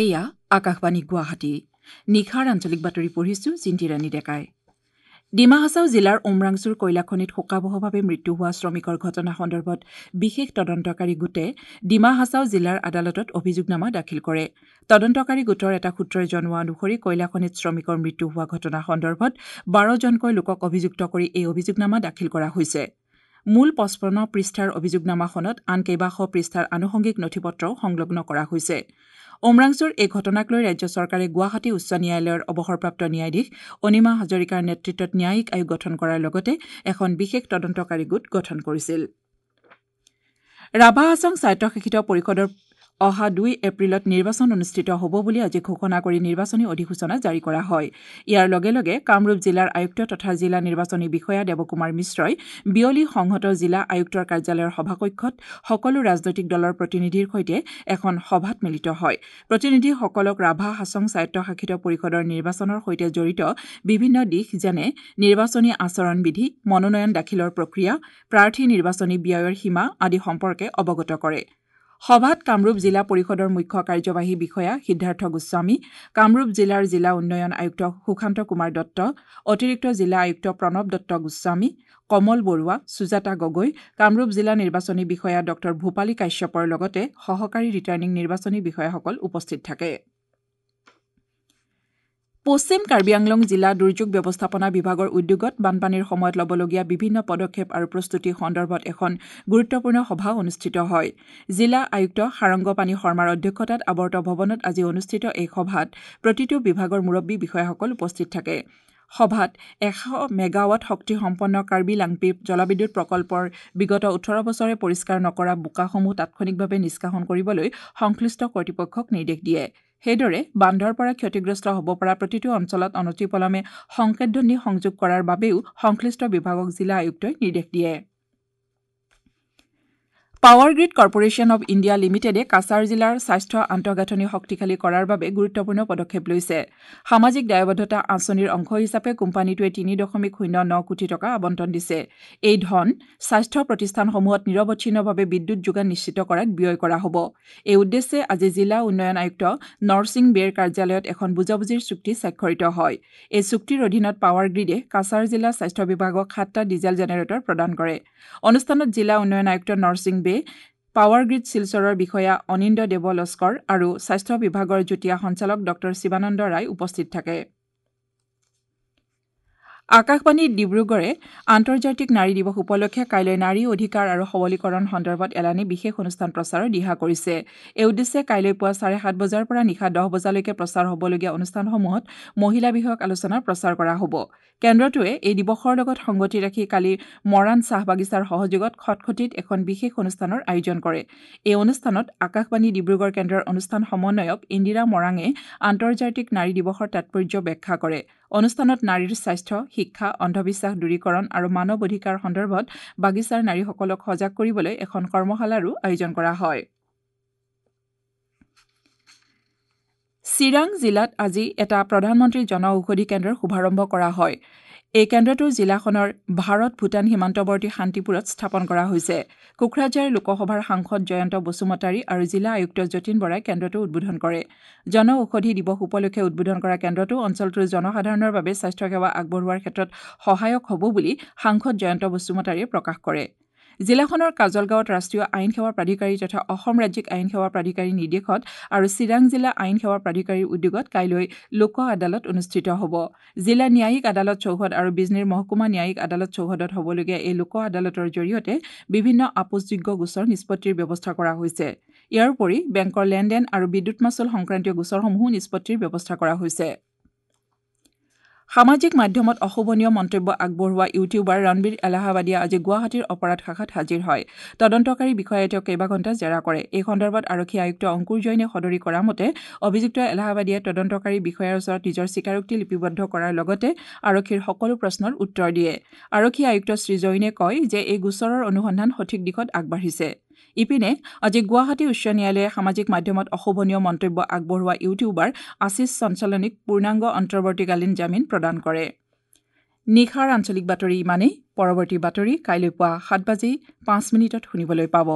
এয়া আকাশবাণী গুৱাহাটী। নিশাৰ আঞ্চলিক বাতৰি পঢ়িছো জিন্তি ৰাণী ডেকাই। ডিমা হাছাও জিলাৰ উমৰাংচুৰ কয়লাখনিত শোকাবহভাৱে মৃত্যু হোৱা শ্ৰমিকৰ ঘটনা সন্দৰ্ভত বিশেষ তদন্তকাৰী গোটে ডিমা হাছাও জিলাৰ আদালতত অভিযোগনামা দাখিল কৰে। তদন্তকাৰী গোটৰ এটা সূত্ৰই জনোৱা অনুসৰি কয়লাখনিত শ্ৰমিকৰ মৃত্যু হোৱা ঘটনা সন্দৰ্ভত ১২জনকৈ লোকক অভিযুক্ত কৰি এই অভিযোগনামা দাখিল কৰা হৈছে। মূল ৫৫ পৃষ্ঠাৰ অভিযোগনামাখনত আন কেইবাশ পৃষ্ঠাৰ আনুষংগিক নথিপত্ৰও সংলগ্ন কৰা হৈছে। উমৰাংচুৰ এই ঘটনাক লৈ ৰাজ্য চৰকাৰে গুৱাহাটী উচ্চ ন্যায়ালয়ৰ অৱসৰপ্ৰাপ্ত ন্যায়াধীশ অনিমা হাজৰিকাৰ নেতৃত্বত ন্যায়িক আয়োগ গঠন কৰাৰ লগতে এখন বিশেষ তদন্তকাৰী গোট গঠন কৰিছিল। ৰাভা হাছং স্বায়ত্তশাসিত পৰিষদৰ অহা ২ এপ্ৰিলত নিৰ্বাচন অনুষ্ঠিত হ'ব বুলি আজি ঘোষণা কৰি নিৰ্বাচনী অধিসূচনা জাৰি কৰা হয়। ইয়াৰ লগে লগে কামৰূপ জিলাৰ আয়ুক্ত তথা জিলা নিৰ্বাচনী বিষয়া দেৱকুমাৰ মিশ্ৰই বিয়লি সংহত জিলা আয়ুক্তৰ কাৰ্যালয়ৰ সভাকক্ষত সকলো ৰাজনৈতিক দলৰ প্ৰতিনিধিৰ সৈতে এখন সভাত মিলিত হয়। প্ৰতিনিধিসকলক ৰাভা হাছং স্বায়ত্তশাসিত পৰিষদৰ নিৰ্বাচনৰ সৈতে জড়িত বিভিন্ন দিশ যেনে নিৰ্বাচনী আচৰণ বিধি, মনোনয়ন দাখিলৰ প্ৰক্ৰিয়া, প্ৰাৰ্থী নিৰ্বাচনী ব্যয়ৰ সীমা আদি সম্পৰ্কে অৱগত কৰে। সভাত কামৰূপ জিলা পৰিষদৰ মুখ্য কাৰ্যবাহী বিষয়া সিদ্ধাৰ্থ গোস্বামী, কামৰূপ জিলাৰ জিলা উন্নয়ন আয়ুক্ত সুশান্ত কুমাৰ দত্ত, অতিৰিক্ত জিলা আয়ুক্ত প্ৰণৱ দত্ত গোস্বামী, কমল বৰুৱা, সুজাতা গগৈ, কামৰূপ জিলা নিৰ্বাচনী বিষয়া ডঃ ভূপালী কাশ্যপৰ লগতে সহকাৰী ৰিটাৰ্ণিং নিৰ্বাচনী বিষয়াসকল উপস্থিত থাকে। পশ্চিম কাৰ্বি আংলং জিলা দুৰ্যোগ ব্যৱস্থাপনা বিভাগৰ উদ্যোগত বানপানীৰ সময়ত ল'বলগীয়া বিভিন্ন পদক্ষেপ আৰু প্ৰস্তুতি সন্দৰ্ভত এখন গুৰুত্বপূৰ্ণ সভা অনুষ্ঠিত হয়। জিলা আয়ুক্ত সাৰংগপাণি শৰ্মাৰ অধ্যক্ষতাত আৱৰ্ত ভৱনত আজি অনুষ্ঠিত এই সভাত প্ৰতিটো বিভাগৰ মুৰব্বী বিষয়াসকল উপস্থিত থাকে। সভাত ১০০ মেগাৱাট শক্তিসম্পন্ন কাৰ্বি লাংপি জলবিদ্যুৎ প্ৰকল্পৰ বিগত ১৮ বছৰে পৰিষ্কাৰ নকৰা বোকাসমূহ তাৎক্ষণিকভাৱে নিষ্কাশন কৰিবলৈ সংশ্লিষ্ট কৰ্তৃপক্ষক নিৰ্দেশ দিয়ে। সেইদৰে বান্ধৰ পৰা ক্ষতিগ্ৰস্ত হ'ব পৰা প্ৰতিটো অঞ্চলত অনতিপলমে সংকেতধ্বনি সংযোগ কৰাৰ বাবেও সংশ্লিষ্ট বিভাগক জিলা আয়ুক্তই নিৰ্দেশ দিয়ে। Power grid corporation of India লিমিটেডে কাছাৰ জিলাৰ স্বাস্থ্য আন্তঃগাঁথনি শক্তিশালী কৰাৰ বাবে গুৰুত্বপূৰ্ণ পদক্ষেপ লৈছে। সামাজিক দায়বদ্ধতা আঁচনিৰ অংশ হিচাপে কোম্পানীটোৱে ৩.০৯ কোটি টকা আবণ্টন দিছে। এই ধন স্বাস্থ্য প্ৰতিষ্ঠানসমূহত নিৰৱচ্ছিন্নভাৱে বিদ্যুৎ যোগান নিশ্চিত কৰাত ব্যয় কৰা হ'ব। এই উদ্দেশ্যে আজি জিলা উন্নয়ন আয়ুক্ত নৰসিং বেৰ কাৰ্যালয়ত এখন বুজাবুজিৰ চুক্তি স্বাক্ষৰিত হয়। এই চুক্তিৰ অধীনত পাৱাৰ গ্ৰীডে কাছাৰ জিলা স্বাস্থ্য বিভাগক ৭টা ডিজেল জেনেৰেটৰ প্ৰদান কৰে। অনুষ্ঠানত জিলা উন্নয়ন আয়ুক্ত নৰসিং বে, পাৱাৰ গ্ৰীড শিলচৰৰ বিষয়া অনিন্দ দেৱ লস্কৰ আৰু স্বাস্থ্য বিভাগৰ যুটীয়া সঞ্চালক ডঃ শিৱানন্দ ৰায় উপস্থিত থাকে। আকাশবাণী ডিব্ৰুগড়ে আন্তৰ্জাতিক নাৰী দিৱস উপলক্ষে কাইলৈ নাৰী অধিকাৰ আৰু সবলীকৰণ সন্দৰ্ভত এলানি বিশেষ অনুষ্ঠান প্ৰচাৰৰ দিহা কৰিছে। এই উদ্দেশ্যে কাইলৈ পুৱা ৭:৩০ বজাৰ পৰা নিশা ১০ বজালৈকে প্ৰচাৰ হ'বলগীয়া অনুষ্ঠানসমূহত মহিলা বিষয়ক আলোচনা প্ৰচাৰ কৰা হ'ব। কেন্দ্ৰটোৱে এই দিৱসৰ লগত সংগতি ৰাখি কালি মৰাণ চাহ বাগিচাৰ সহযোগত খটখটিত এখন বিশেষ অনুষ্ঠানৰ আয়োজন কৰে। এই অনুষ্ঠানত আকাশবাণী ডিব্ৰুগড় কেন্দ্ৰৰ অনুষ্ঠান সমন্বয়ক ইন্দিৰা মৰাঙে আন্তৰ্জাতিক নাৰী দিৱসৰ তাৎপৰ্য ব্যাখ্যা কৰে। অনুষ্ঠানত নাৰীৰ স্বাস্থ্য, শিক্ষা, অন্ধবিশ্বাস দূৰীকৰণ আৰু মানৱ অধিকাৰ সন্দৰ্ভত বাগিচাৰ নাৰীসকলক সজাগ কৰিবলৈ এখন কৰ্মশালাৰো আয়োজন কৰা হয়। চিৰাং জিলাত আজি এটা প্ৰধানমন্ত্ৰী জন ঔষধি কেন্দ্ৰৰ শুভাৰম্ভ কৰা হয়। এই কেন্দ্ৰটো জিলাখনৰ ভাৰত ভূটান সীমান্তৱৰ্তী শান্তিপুৰত স্থাপন কৰা হৈছে। কোকৰাঝাৰ লোকসভাৰ সাংসদ জয়ন্ত বসুমতাৰী আৰু জিলা আয়ুক্ত যতীন বৰাই কেন্দ্ৰটো উদ্বোধন কৰে। জন ঔষধি দিৱস উপলক্ষে উদ্বোধন কৰা কেন্দ্ৰটো অঞ্চলটোৰ জনসাধাৰণৰ বাবে স্বাস্থ্যসেৱা আগবঢ়োৱাৰ ক্ষেত্ৰত সহায়ক হ'ব বুলি সাংসদ জয়ন্ত বসুমতাৰীয়ে প্ৰকাশ কৰে। জিলাখনৰ কাজলগাঁৱত ৰাষ্ট্ৰীয় আইন সেৱা প্ৰাধিকাৰী তথা অসম ৰাজ্যিক আইন সেৱা প্ৰাধিকাৰীৰ নিৰ্দেশত আৰু চিৰাং জিলা আইন সেৱা প্ৰাধিকাৰীৰ উদ্যোগত কাইলৈ লোক আদালত অনুষ্ঠিত হ'ব। জিলা ন্যায়িক আদালত চৌহদ আৰু বিজনীৰ মহকুমা ন্যায়িক আদালত চৌহদত হ'বলগীয়া এই লোক আদালতৰ জৰিয়তে বিভিন্ন আপোচযোগ্য গোচৰ নিষ্পত্তিৰ ব্যৱস্থা কৰা হৈছে। ইয়াৰ উপৰি বেংকৰ লেনদেন আৰু বিদ্যুৎ মাচুল সংক্ৰান্তীয় গোচৰসমূহো নিষ্পত্তিৰ ব্যৱস্থা কৰা হৈছে। সামাজিক মাধ্যমত অশোভনীয় মন্তব্য আগবঢ়োৱা ইউটিউবাৰ ৰণবীৰ এলাহাবাদিয়া আজি গুৱাহাটীৰ অপৰাধ শাখাত হাজিৰ হয়। তদন্তকাৰী বিষয়াই তেওঁক কেইবাঘণ্টা জেৰা কৰে। এই সন্দৰ্ভত আৰক্ষী আয়ুক্ত অংকুৰ জৈনে সদৰি কৰা মতে অভিযুক্ত এলাহাবাদিয়াই তদন্তকাৰী বিষয়াৰ ওচৰত নিজৰ স্বীকাৰোক্তি লিপিবদ্ধ কৰাৰ লগতে আৰক্ষীৰ সকলো প্ৰশ্নৰ উত্তৰ দিয়ে। আৰক্ষী আয়ুক্ত শ্ৰী জৈনে কয় যে এই গোচৰৰ অনুসন্ধান সঠিক দিশত আগবাঢ়িছে। ইপিনে আজি গুৱাহাটী উচ্চ ন্যায়ালয়ে সামাজিক মাধ্যমত অশোভনীয় মন্তব্য আগবঢ়োৱা ইউটিউবাৰ আশীষ চঞ্চলনীক পূৰ্ণাংগ অন্তৰ্বৰ্তীকালীন জামিন প্ৰদান কৰে। নিশাৰ আঞ্চলিক বাতৰি ইমানেই। পৰৱৰ্তী বাতৰি কাইলৈ পুৱা ৭:০৫ শুনিবলৈ পাব।